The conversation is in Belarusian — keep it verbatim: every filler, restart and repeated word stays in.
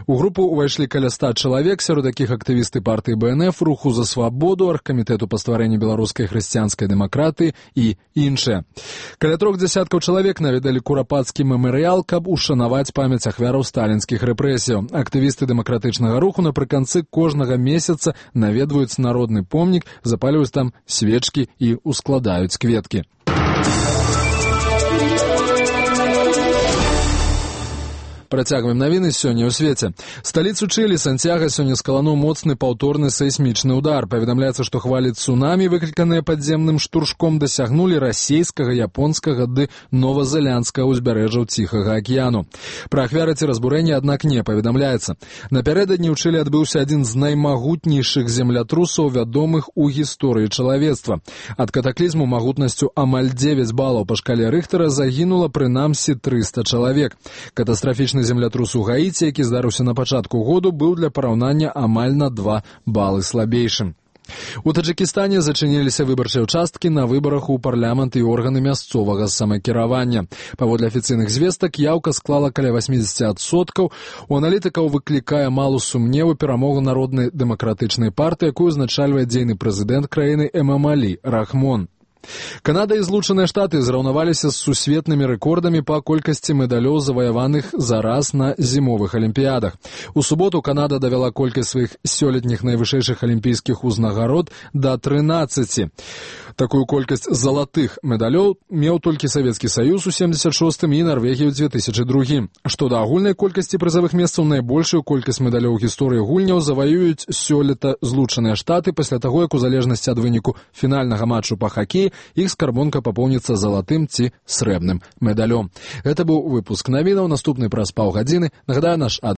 У групу ўвайшлі каля ста чалавек, сярод якіх актывісты партыі бэ эн эф, руху за свабоду, аргкамітэту па стварэнні беларускай хрысціянскай дэмакратыі і іншыя. Каля трох дзясяткаў чалавек наведалі курапацкі мемарыял, каб ушанаваць памяць ахвяраў сталінскіх рэпрэсіяў. Актывісты дэмакратычнага руху напрыканцы кожнага месяца наведваюць народны помнік, запальваюць там свечкі і ускладаюць кветкі. Працягваем навіны сёння ў свеце. Сталіцу Чылі Сантьяга сёння скалануў моцны паўторны сейсмічны удар. Паведамляецца, што хвалі цунамі, выкліканыя падземным штуршком, дасягнулі расейскага, японскага ды новазеландскага ўзбярэжжаў Ціхага акіяну. Пра ахвяры ці разбурэнні, аднак, не паведамляецца. Напярэдадні ў Чылі адбыўся адзін з наймагутнейшых землятрусаў, вядомых у гісторыі чалавецтва. Ад катаклізму магутнасцю амаль дзевяць балаў па шкале Рыхтара загінула прынамсі трыста чалавек. Катастрафічны землятрус у Гаіці, які здарыўся на пачатку году, быў для параўнання амаль на два балы слабейшым. У Таджыкістане зачыніліся выбарчыя ўчасткі на выбарах у парламент і органы мясцовага самакіравання. Паводле афіцыйных звестак, яўка склала каля васьмідзесят адсоткаў. У аналітыкаў выклікае малу сумневу перамогу народнай дэмакратычнай партыі, якую узначальвае дзейны прэзідэнт краіны Эмамалі Рахмон. Канада і Злучаныя Штаты зраўнаваліся з сусветнымі рэкордамі па колькасці медалёў, заваяваных за раз на зімовых алімпіядах. У суботу Канада давяла колькасць сваіх сёлетніх найвышэйшых алімпійскіх узнагарод да трынаццаці. Такую колькасць залатых медалёў меў толькі Савецкі Саюз у семдзесят шостым і Нарвегія ў дзве тысячы другім. Што да агульнай колькасці прызавых месцаў, найбольшую колькасць медалёў у гісторыі гульняў заваююць сёлета Злучаныя Штаты пасля таго, як у залежнасці ад выніку фінальнага матчу па хакеі іх скарбонка папоўніцца залатым ці срэбным медалём. Гэта быў выпуск навінаў, наступны праз паўгадзіны. Нагадаю, наш